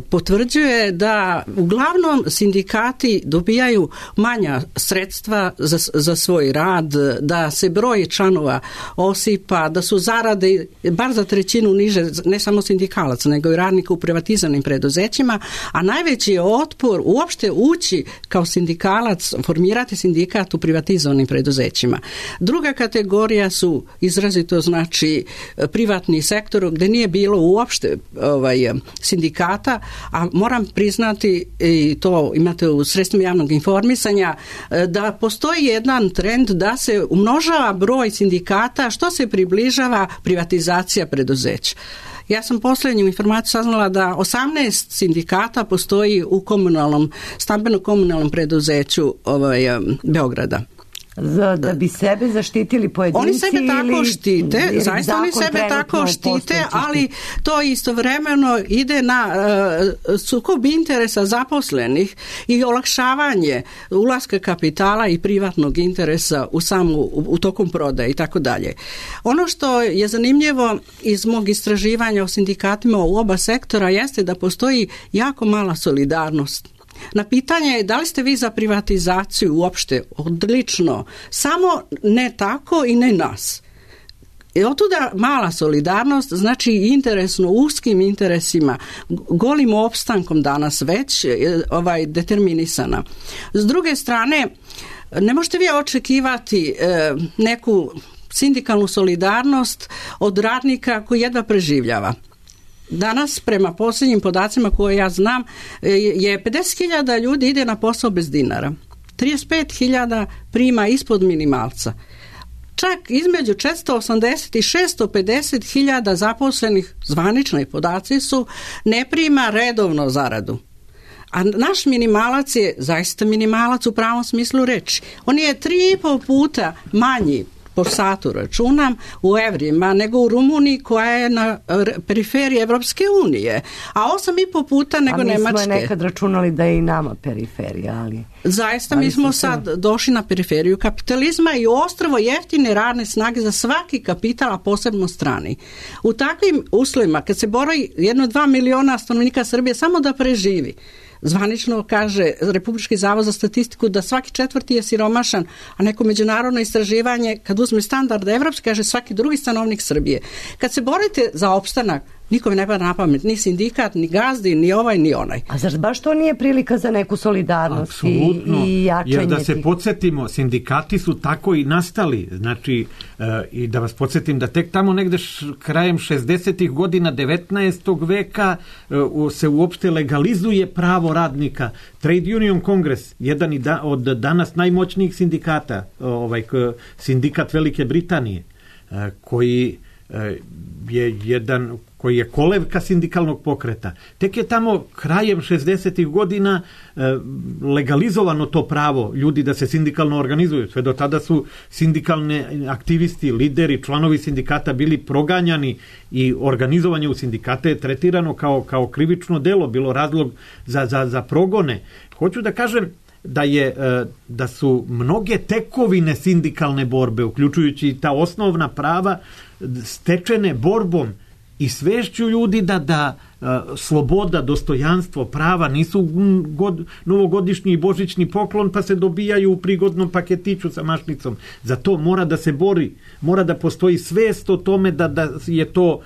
F: potvrđuje da uglavnom sindikati dobijaju manja sredstva za, za svoj rad, da se broj članova osipa, da su zarade bar za trećinu niže, ne samo sindikalaca, nego i radnika u privatizovanim preduzećima, a najveći je otpor uopšte ući kao sindikalac, formirati sindikat u privatizovanim preduzećima. Druga kategorija su izrazito, znači, privatni sektor gdje nije bilo uopšte ovaj, sindikata, a moram priznati, i to imate u sredstvima javnog informisanja, da postoji jedan trend da se umnožava broj sindikata što se približava privatizacija preduzeća. Ja sam posljednju informaciju saznala da osamnaest sindikata postoji u komunalnom, stambeno-komunalnom preduzeću ovaj, Beograda.
E: Za, da bi sebe zaštitili pojedinci.
F: Oni sebe tako ili, štite, ili zaista oni sebe tako štite, ali to istovremeno ide na uh, sukob interesa zaposlenih i olakšavanje ulaska kapitala i privatnog interesa u samu, u, u tokom prodaje i tako dalje. Ono što je zanimljivo iz mog istraživanja o sindikatima u oba sektora jeste da postoji jako mala solidarnost. Na pitanje da li ste vi za privatizaciju uopšte, odlično, samo ne tako i ne nas. I otuda mala solidarnost, znači interesno uskim interesima, golim opstankom danas već ovaj, determinisana. S druge strane, ne možete vi očekivati e, neku sindikalnu solidarnost od radnika koji jedva preživljava. Danas, prema posljednjim podacima koje ja znam, je pedeset hiljada ljudi ide na posao bez dinara. trideset pet hiljada prima ispod minimalca. Čak između četiristo osamdeset i šesto pedeset hiljada zaposlenih, zvanični podaci su, ne prima redovno zaradu. A naš minimalac je zaista minimalac u pravom smislu reči. On je tri i pol puta manji po satu računam u evrima nego u Rumuniji koja je na periferiji Evropske unije, a osam i po puta nego Nemačke. A mi smo
E: nekad računali da je i nama periferija, ali...
F: Zaista
E: ali
F: mi smo
E: se...
F: sad došli na periferiju kapitalizma i ostrvo jeftine radne snage za svaki kapital, a posebno strani. U takvim uslovima, kad se bori jedno dva miliona stanovnika Srbije samo da preživi, zvanično kaže Republički zavod za statistiku da svaki četvrti je siromašan, a neko međunarodno istraživanje, kad uzme standard evropski, kaže svaki drugi stanovnik Srbije. Kad se borite za opstanak, nikome ne pada na pamet, ni sindikat, ni gazdi, ni ovaj, ni onaj.
E: A zar baš to nije prilika za neku solidarnost
C: Apsolutno,
E: i jačanje?
C: Jer da se
E: tih...
C: podsjetimo, sindikati su tako i nastali. Znači, e, i da vas podsjetim da tek tamo negde š, krajem šezdesetih godina devetnaestog veka e, se uopšte legalizuje pravo radnika. Trade Union Kongres, jedan da, od danas najmoćnijih sindikata, ovaj, sindikat Velike Britanije, e, koji e, je jedan... koji je kolevka sindikalnog pokreta. Tek je tamo krajem šezdesetih godina e, legalizovano to pravo ljudi da se sindikalno organizuju. Sve do tada su sindikalni aktivisti, lideri, članovi sindikata bili proganjani i organizovanje u sindikate je tretirano kao, kao krivično delo, bilo razlog za, za, za progone. Hoću da kažem da je da su mnoge tekovine sindikalne borbe, uključujući i ta osnovna prava, stečene borbom i svešću ljudi da, da sloboda, dostojanstvo, prava nisu god, novogodišnji i božićni poklon pa se dobijaju u prigodnom paketiću sa mašnicom. Za to mora da se bori, mora da postoji svest o tome da, da je to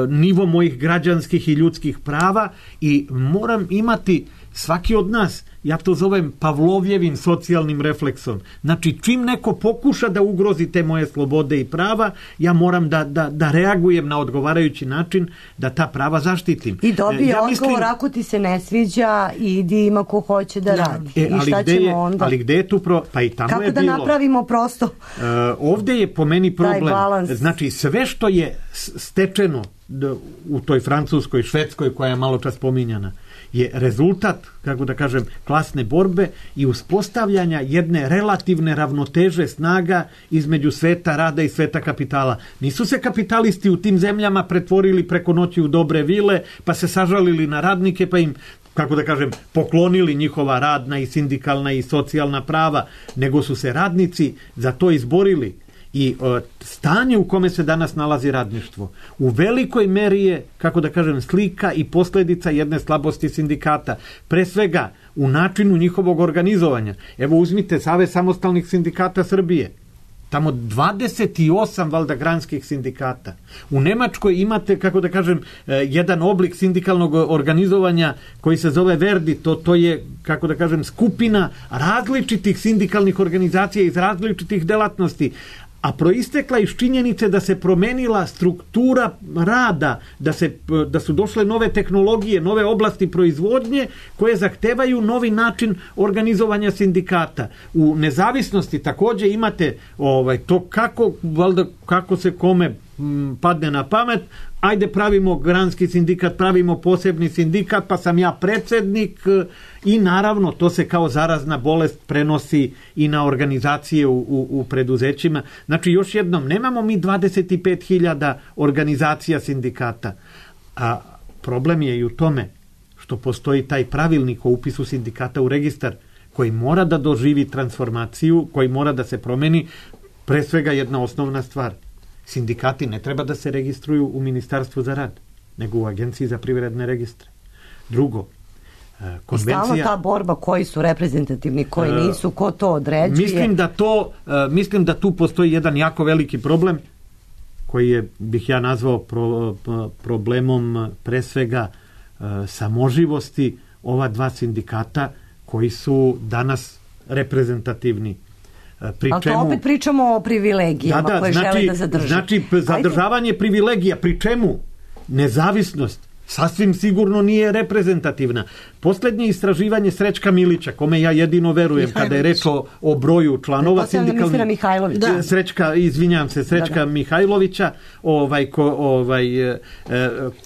C: nivo mojih građanskih i ljudskih prava i moram imati svaki od nas, ja to zovem Pavlovjevim socijalnim refleksom. Znači, čim neko pokuša da ugrozi te moje slobode i prava, ja moram da, da, da reagujem na odgovarajući način da ta prava zaštitim.
E: I dobije
C: ja
E: odgovor,
C: mislim,
E: ako ti se ne sviđa, idi ima ko hoće da radi.
C: E,
E: I
C: ali
E: šta
C: gde
E: ćemo
C: je,
E: onda?
C: Ali gde je tu pro... Pa i tamo
E: Kako
C: je
E: da
C: bilo.
E: napravimo prosto?
C: Uh, ovde je po meni problem. Znači, sve što je stečeno u toj Francuskoj, Švedskoj koja je malo čas spominjana, je rezultat, kako da kažem, klasne borbe i uspostavljanja jedne relativne ravnoteže snaga između sveta rada i sveta kapitala. Nisu se kapitalisti u tim zemljama pretvorili preko noći u dobre vile, pa se sažalili na radnike, pa im, kako da kažem, poklonili njihova radna i sindikalna i socijalna prava, nego su se radnici za to izborili. I o, stanje u kome se danas nalazi radništvo u velikoj meri je, kako da kažem, slika i posljedica jedne slabosti sindikata. Pre svega u načinu njihovog organizovanja. Evo uzmite Savez samostalnih sindikata Srbije. Tamo dvadeset osam valjda granskih sindikata. U Nemačkoj imate, kako da kažem, jedan oblik sindikalnog organizovanja koji se zove Verdi. To, to je, kako da kažem, skupina različitih sindikalnih organizacija iz različitih delatnosti, a proistekla iz činjenice da se promenila struktura rada, da, se, da su došle nove tehnologije, nove oblasti proizvodnje koje zahtevaju novi način organizovanja sindikata. U nezavisnosti također imate ovaj, to kako, valjda, kako se kome m, padne na pamet, ajde pravimo granski sindikat, pravimo posebni sindikat, pa sam ja predsjednik i naravno to se kao zarazna bolest prenosi i na organizacije u, u, u preduzećima. Znači još jednom, nemamo mi dvadeset pet hiljada organizacija sindikata, a problem je i u tome što postoji taj pravilnik o upisu sindikata u registar koji mora da doživi transformaciju, koji mora da se promeni, pre svega jedna osnovna stvar. Sindikati ne treba da se registruju u Ministarstvu za rad, nego u Agenciji za privredne registre. Drugo, Konvencija...
E: I stalno ta borba koji su reprezentativni, koji nisu, ko to određuje.
C: Mislim da, to, mislim da tu postoji jedan jako veliki problem koji je, bih ja nazvao pro, problemom pre svega samoživosti ova dva sindikata koji su danas reprezentativni.
E: Pri ali to čemu, opet pričamo o privilegijama da, da, koje znači, žele da zadrže.
C: Znači, zadržavanje Ajde. privilegija, pri čemu nezavisnost sasvim sigurno nije reprezentativna. Posljednje istraživanje Srećka Milića, kome ja jedino verujem Mihajlović. Kada je reč o, o broju članova sindikalnih...
E: Da.
C: Srećka, izvinjam se, Srećka da, da. Mihajlovića ovaj, ko, ovaj, e,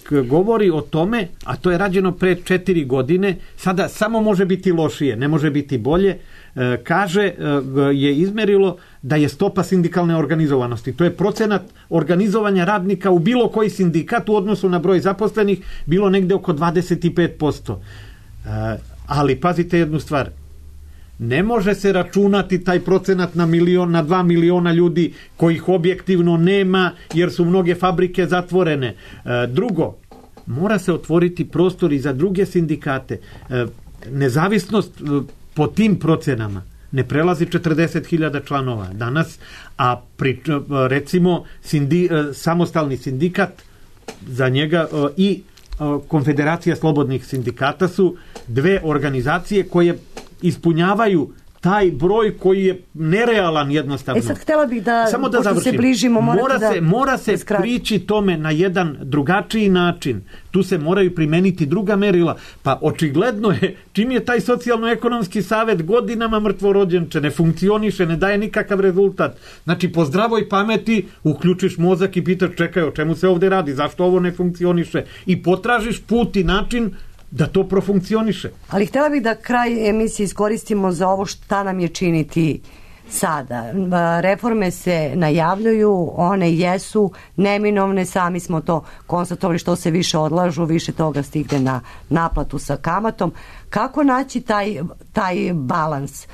C: k, govori o tome, a to je rađeno pre četiri godine, sada samo može biti lošije, ne može biti bolje, e, kaže, e, je izmerilo da je stopa sindikalne organizovanosti. To je procenat organizovanja radnika u bilo koji sindikat u odnosu na broj zaposlenih bilo negde oko dvadeset pet posto. E, ali pazite jednu stvar. Ne može se računati taj procenat na milion, na dva miliona ljudi kojih objektivno nema jer su mnoge fabrike zatvorene. E, drugo, mora se otvoriti prostor i za druge sindikate. E, nezavisnost e, po tim procenama ne prelazi četrdeset hiljada članova danas, a pri, recimo sindi, samostalni sindikat za njega i Konfederacija slobodnih sindikata su dve organizacije koje ispunjavaju taj broj koji je nerealan jednostavno.
E: E sad htjela bih da,
C: samo da završim.
E: Se bližimo,
C: mora
E: da,
C: se, mora se prići tome na jedan drugačiji način. Tu se moraju primeniti druga merila. Pa očigledno je, čim je taj socijalno-ekonomski savet godinama mrtvorođenče, ne funkcioniše, ne daje nikakav rezultat. Znači, po zdravoj pameti uključiš mozak i pitaš, čekaj, o čemu se ovdje radi, zašto ovo ne funkcioniše? I potražiš put i način da to profunkcioniše.
E: Ali htjela bih da kraj emisije iskoristimo za ovo šta nam je činiti sada. Reforme se najavljuju, one jesu neminovne, sami smo to konstatovali, što se više odlažu, više toga stigne na naplatu sa kamatom. Kako naći taj, taj balans?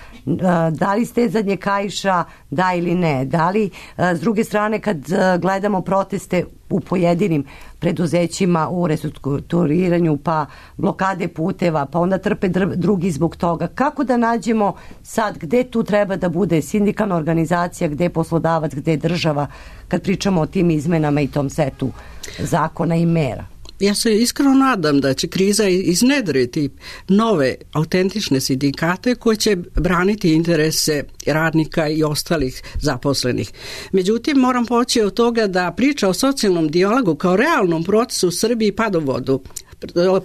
E: Da li stezanje kaiša, da ili ne? Da li, s druge strane, kad gledamo proteste u pojedinim preduzećima u restrukturiranju, pa blokade puteva, pa onda trpe drugi zbog toga. Kako da nađemo sad gde tu treba da bude sindikalna organizacija, gde poslodavac, gde država, kad pričamo o tim izmenama i tom setu zakona i mera?
F: Ja se iskreno nadam da će kriza iznedriti nove autentične sindikate koji će braniti interese radnika i ostalih zaposlenih. Međutim, moram poći od toga da priča o socijalnom dijalogu kao realnom procesu u Srbiji pada u vodu.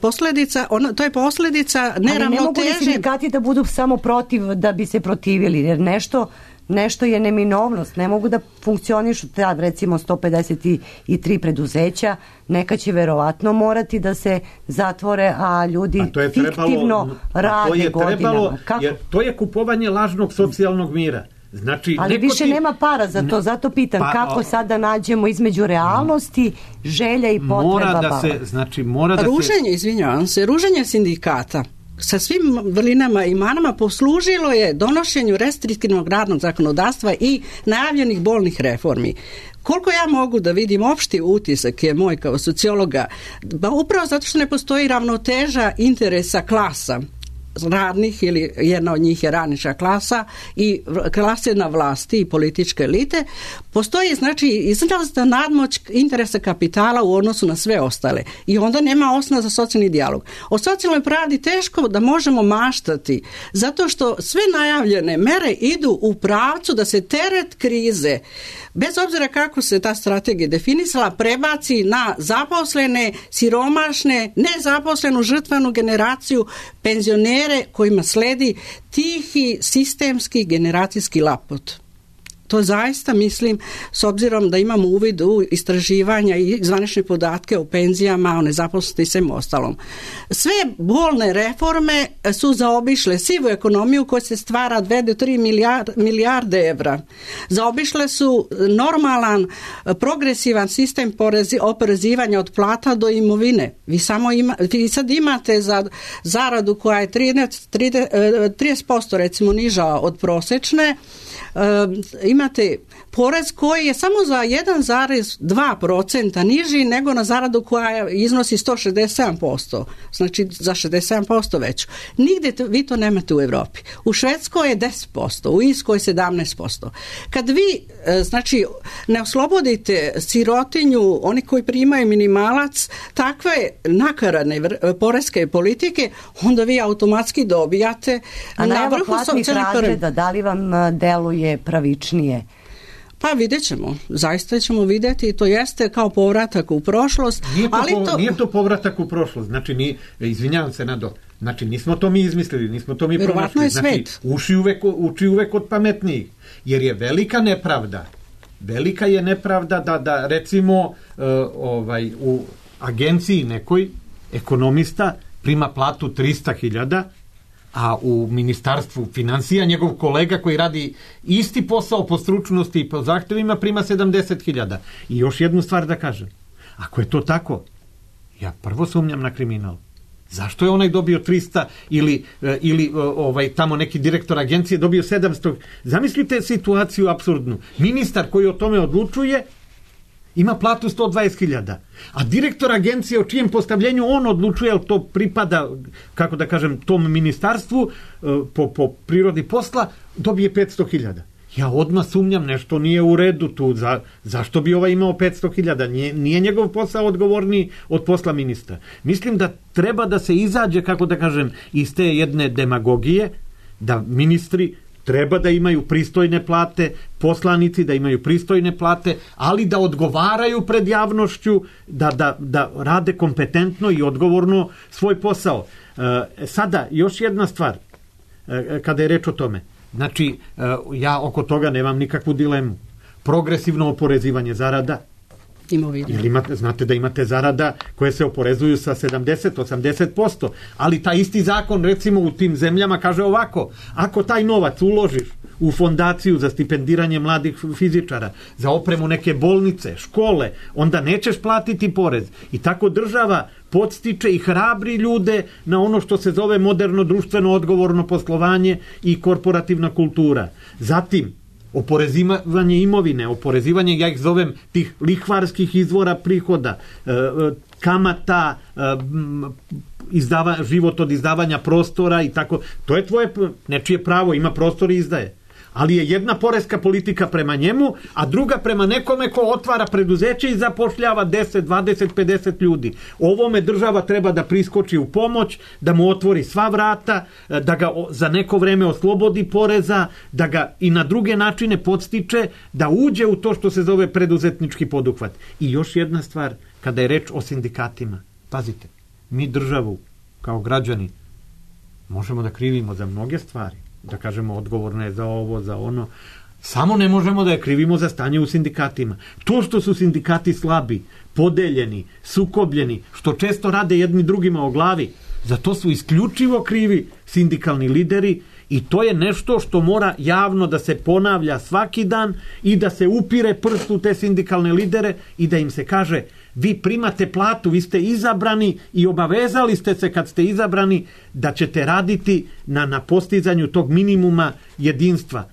F: Posljedica, ona, to je posljedica neravnoteže. Ali ne mogu li
E: sindikati da budu samo protiv da bi se protivili, jer nešto nešto je neminovnost, ne mogu da funkcionišu tad recimo sto pedeset tri preduzeća, neka će verovatno morati da se zatvore, a ljudi a to je fiktivno trebalo, rade to je godinama. Trebalo,
C: jer to je kupovanje lažnog socijalnog mira. Znači,
E: ali više
C: ti...
E: nema para za to, zato pitam pa, kako sad da nađemo između realnosti, želja i potreba.
C: Mora da se, znači, mora da
F: ruženje,
C: se...
F: izvinjavam se, ruženje sindikata sa svim vrlinama i manama poslužilo je donošenju restriktivnog radnog zakonodavstva i najavljenih bolnih reformi. Koliko ja mogu da vidim, opšti utisak je moj kao sociologa, ba upravo zato što ne postoji ravnoteža interesa klasa radnih, ili jedna od njih je radnička klasa i klase na vlasti i političke elite, postoji znači izrazita nadmoć interesa kapitala u odnosu na sve ostale i onda nema osnova za socijalni dijalog. O socijalnoj pravdi teško da možemo maštati zato što sve najavljene mere idu u pravcu da se teret krize, bez obzira kako se ta strategija definisala, prebaci na zaposlene, siromašne, nezaposlenu žrtvenu generaciju, penzionere kojima sledi tihi sistemski generacijski lapot. To zaista mislim, s obzirom da imamo uvid u istraživanja i zvanične podatke o penzijama, o nezaposlenosti i svem ostalom. Sve bolne reforme su zaobišle sivu ekonomiju koja se stvara dve do tri milijarde evra. Zaobišle su normalan, progresivan sistem porezi, oporezivanja od plata do imovine. Vi, samo ima, vi sad imate za zaradu koja je trideset posto recimo niža od prosečne, Uh, imate imate porez koji je samo za jedan zarez dva procenta niži nego na zaradu koja iznosi sto šezdeset sedam posto, znači za šezdeset sedam posto veću. Nigde to, vi to nemate u Evropi. U Švedskoj je deset posto, u Irskoj sedamnaest posto. Kad vi znači ne oslobodite sirotinju, oni koji primaju minimalac, takve nakaradne poreske politike, onda vi automatski dobijate
E: a
F: na vrhu
E: platnih razreda, da li vam deluje pravičnije?
F: Pa vidjet ćemo, zaista ćemo vidjeti i to jeste kao povratak u prošlost.
C: Nije to,
F: ali
C: po,
F: to...
C: nije to povratak u prošlost, znači ni, izvinjavam se Nado, znači nismo to mi izmislili, nismo to mi pronašli, znači uši uvek, uči uvek od pametnijih, jer je velika nepravda, velika je nepravda da, da recimo uh, ovaj, u agenciji nekoj ekonomista prima platu trista hiljada, a u ministarstvu financija njegov kolega koji radi isti posao po stručnosti i po zahtevima prima sedamdeset hiljada. I još jednu stvar da kažem. Ako je to tako, ja prvo sumnjam na kriminal. Zašto je onaj dobio trista ili, ili ovaj, tamo neki direktor agencije dobio sedamsto? Zamislite situaciju apsurdnu. Ministar koji o tome odlučuje ima platu sto dvadeset hiljada, a direktor agencije o čijem postavljenju on odlučuje, ali to pripada, kako da kažem, tom ministarstvu po, po prirodi posla, dobije petsto hiljada. Ja odmah sumnjam, nešto nije u redu tu. Za, zašto bi ovaj imao petsto hiljada? Nije, nije njegov posao odgovorniji od posla ministra. Mislim da treba da se izađe, kako da kažem, iz te jedne demagogije, da ministri treba da imaju pristojne plate, poslanici da imaju pristojne plate, ali da odgovaraju pred javnošću, da, da, da rade kompetentno i odgovorno svoj posao. E, sada, još jedna stvar, e, kada je reč o tome. Znači, e, ja oko toga nemam nikakvu dilemu. Progresivno oporezivanje zarada. Ili imate, znate da imate zarada koje se oporezuju sa sedamdeset do osamdeset posto, ali taj isti zakon recimo u tim zemljama kaže ovako: ako taj novac uložiš u fondaciju za stipendiranje mladih fizičara, za opremu neke bolnice, škole, onda nećeš platiti porez. I tako država podstiče i hrabri ljude na ono što se zove moderno društveno odgovorno poslovanje i korporativna kultura. Zatim oporezivanje imovine, oporezivanje, ja ih zovem, tih lihvarskih izvora prihoda, kamata, izdava, život od izdavanja prostora i tako. To je tvoje nečije pravo, ima prostor i izdaje. Ali je jedna poreska politika prema njemu, a druga prema nekome ko otvara preduzeće i zapošljava deset, dvadeset, pedeset ljudi. Ovome država treba da priskoči u pomoć, da mu otvori sva vrata, da ga za neko vreme oslobodi poreza, da ga i na druge načine podstiče, da uđe u to što se zove preduzetnički poduhvat. I još jedna stvar, kada je reč o sindikatima. Pazite, mi državu kao građani možemo da krivimo za mnoge stvari. Da kažemo odgovorno je za ovo, za ono. Samo ne možemo da je krivimo za stanje u sindikatima. To što su sindikati slabi, podeljeni, sukobljeni, što često rade jedni drugima o glavi, za to su isključivo krivi sindikalni lideri i to je nešto što mora javno da se ponavlja svaki dan i da se upire prst u te sindikalne lidere i da im se kaže: vi primate platu, vi ste izabrani i obavezali ste se kad ste izabrani da ćete raditi na, na postizanju tog minimuma jedinstva.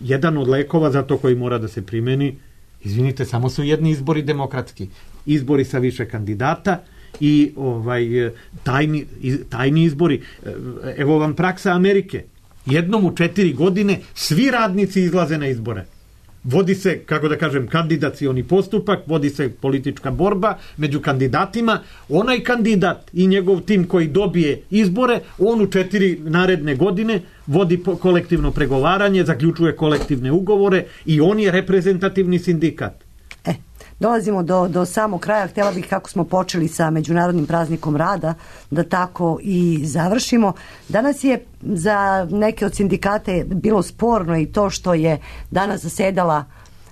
C: Jedan od lekova za to koji mora da se primeni, izvinite, samo su jedni izbori demokratski. Izbori sa više kandidata i ovaj tajni, tajni izbori. Evo vam praksa Amerike. Jednom u četiri godine svi radnici izlaze na izbore. Vodi se, kako da kažem, kandidacioni postupak, vodi se politička borba među kandidatima. Onaj kandidat i njegov tim koji dobije izbore, on u četiri naredne godine vodi kolektivno pregovaranje, zaključuje kolektivne ugovore i on je reprezentativni sindikat.
E: E, dolazimo do, do samog kraja. Htjela bih, kako smo počeli sa Međunarodnim praznikom rada, da tako i završimo. Danas je za neke od sindikate bilo sporno i to što je danas zasedala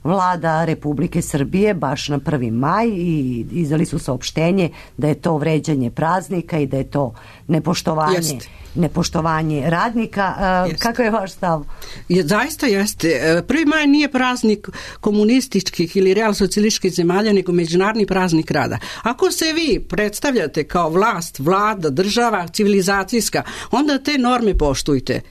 E: Vlada Republike Srbije baš na prvi maj i izdali su saopštenje da je to vređanje praznika i da je to nepoštovanje, jeste. nepoštovanje radnika. Jeste. Kakav je vaš stav?
F: Je, zaista jeste. prvi maj nije praznik komunističkih ili realsocijalističkih zemalja, nego međunarodni praznik rada. Ako se vi predstavljate kao vlast, vlada, država, civilizacijska, onda te norme poštujte.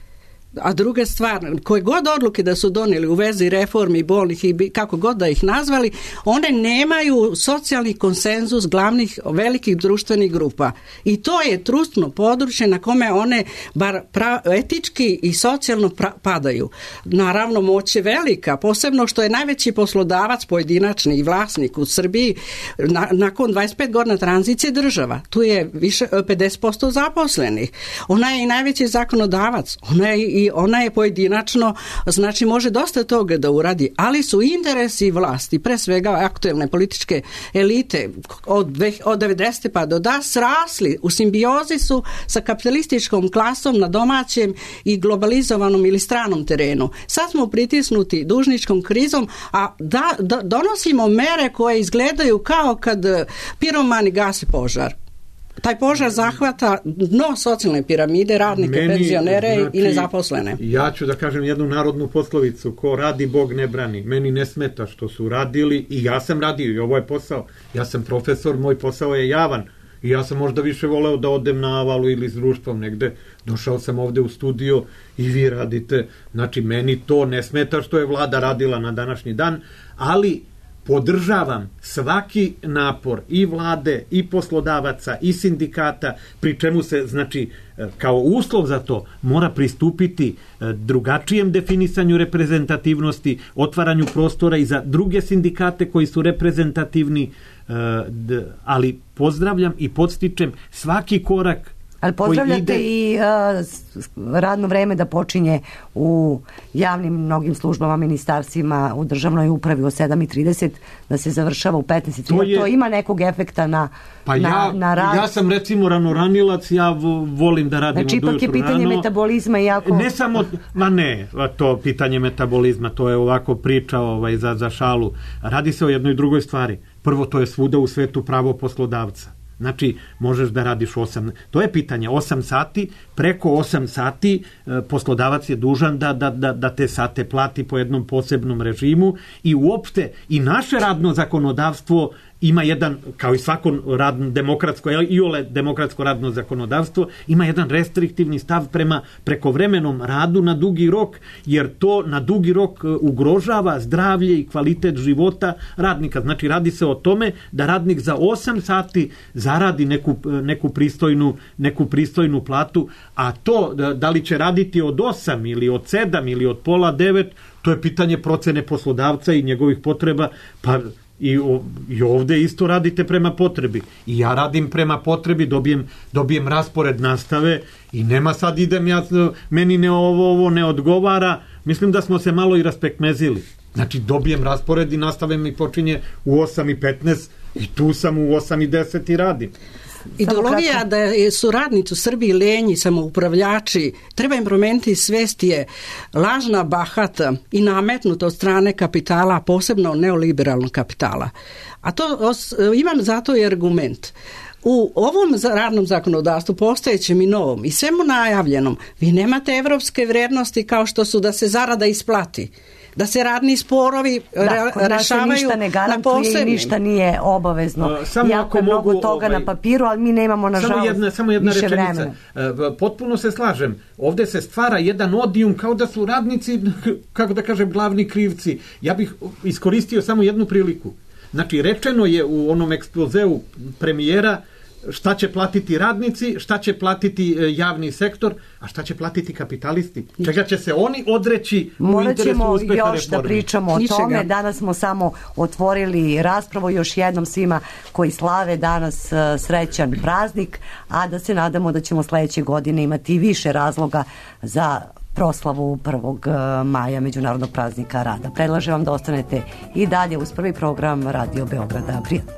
F: A druga stvar, koje god odluke da su donijeli u vezi reformi bolnih i kako god da ih nazvali, one nemaju socijalni konsenzus glavnih velikih društvenih grupa. I to je trustno područje na kome one bar pra, etički i socijalno pra, padaju. Naravno, moć je velika, posebno što je najveći poslodavac pojedinačni i vlasnik u Srbiji na, nakon dvadeset pet godina tranzicije država. Tu je više pedeset posto zaposlenih. Ona je i najveći zakonodavac. Ona je i ona je pojedinačno, znači može dosta toga da uradi, ali su interesi vlasti, pre svega aktuelne političke elite od, od devedesete pa do danas rasli, u simbiozi su sa kapitalističkom klasom na domaćem i globalizovanom ili stranom terenu. Sad smo pritisnuti dužničkom krizom, a da, da donosimo mere koje izgledaju kao kad piromani gase požar. Taj požar zahvata dno socijalne piramide, radnike, Meni, penzionere znači, i nezaposlene.
C: Ja ću da kažem jednu narodnu poslovicu, ko radi, Bog ne brani. Meni ne smeta što su radili i ja sam radio i ovo je posao. Ja sam profesor, moj posao je javan i ja sam možda više voleo da odem na avalu ili s društvom negde. Došao sam ovde u studio i vi radite. Znači, meni to ne smeta što je vlada radila na današnji dan, ali podržavam svaki napor i vlade, i poslodavaca, i sindikata, pri čemu se, znači, kao uslov za to mora pristupiti drugačijem definisanju reprezentativnosti, otvaranju prostora i za druge sindikate koji su reprezentativni, ali pozdravljam i podstičem svaki korak.
E: Ali pozdravljate ide... i uh, radno vreme da počinje u javnim mnogim službama, ministarstvima, u državnoj upravi o sedam i trideset, da se završava u petnaest i trideset. To, je... to ima nekog efekta na,
C: pa
E: na,
C: ja,
E: na rad?
C: Ja sam recimo ranoranilac, ja volim da radim
E: znači,
C: u dušu.
E: Znači ipak je pitanje
C: rano.
E: metabolizma jako...
C: Ne samo, ma ne, to pitanje metabolizma, to je ovako priča ovaj, za, za šalu. Radi se o jednoj drugoj stvari. Prvo, to je svuda u svetu pravo poslodavca. Znači, možeš da radiš osam, to je pitanje, osam sati, preko osam sati e, poslodavac je dužan da, da, da, da te sate plati po jednom posebnom režimu i uopšte i naše radno zakonodavstvo ima jedan, kao i svako radno, demokratsko, i ole demokratsko radno zakonodavstvo, ima jedan restriktivni stav prema prekovremenom radu na dugi rok, jer to na dugi rok ugrožava zdravlje i kvalitet života radnika. Znači, radi se o tome da radnik za osam sati zaradi neku, neku, pristojnu, neku pristojnu platu, a to da li će raditi od osam ili od sedam ili od pola devet, to je pitanje procene poslodavca i njegovih potreba, pa I, o, i ovde isto radite prema potrebi. I ja radim prema potrebi, dobijem, dobijem raspored nastave i nema sad idem ja, meni ne ovo, ovo ne odgovara. Mislim da smo se malo i raspekmezili. Znači dobijem raspored i nastave mi počinje u osam i petnaest i tu sam u osam i deset i radim.
F: Ideologija da su radnici u Srbiji lenji, samoupravljači, treba im promeniti svest je lažna, bahata i nametnuta od strane kapitala, posebno neoliberalnog kapitala. A to os, imam zato i argument. U ovom radnom zakonodavstvu, postojećem i novom i svemu najavljenom, vi nemate evropske vrednosti kao što su da se zarada isplati, da se radni sporovi
E: da,
F: re, rešavaju
E: ništa ne garantuje i ništa nije obavezno. Uh, samo jako je mnogo mogu, toga ovaj, na papiru, ali mi nemamo nažalost
C: samo jedna, samo jedna
E: više
C: rečenica.
E: vremena.
C: Uh, potpuno se slažem. Ovde se stvara jedan odijum kao da su radnici, kako da kažem, glavni krivci. Ja bih iskoristio samo jednu priliku. Znači, rečeno je u onom ekspozeu premijera šta će platiti radnici, šta će platiti javni sektor, a šta će platiti kapitalisti. Čega će se oni odreći u interesu uspeha reforme.
E: Još da pričamo o
F: Ničega.
E: tome. Danas smo samo otvorili raspravu, još jednom svima koji slave danas srećan praznik, a da se nadamo da ćemo sledeće godine imati više razloga za proslavu prvog maja, Međunarodnog praznika rada. Predlažem vam da ostanete i dalje uz prvi program Radio Beograda. Prijatno.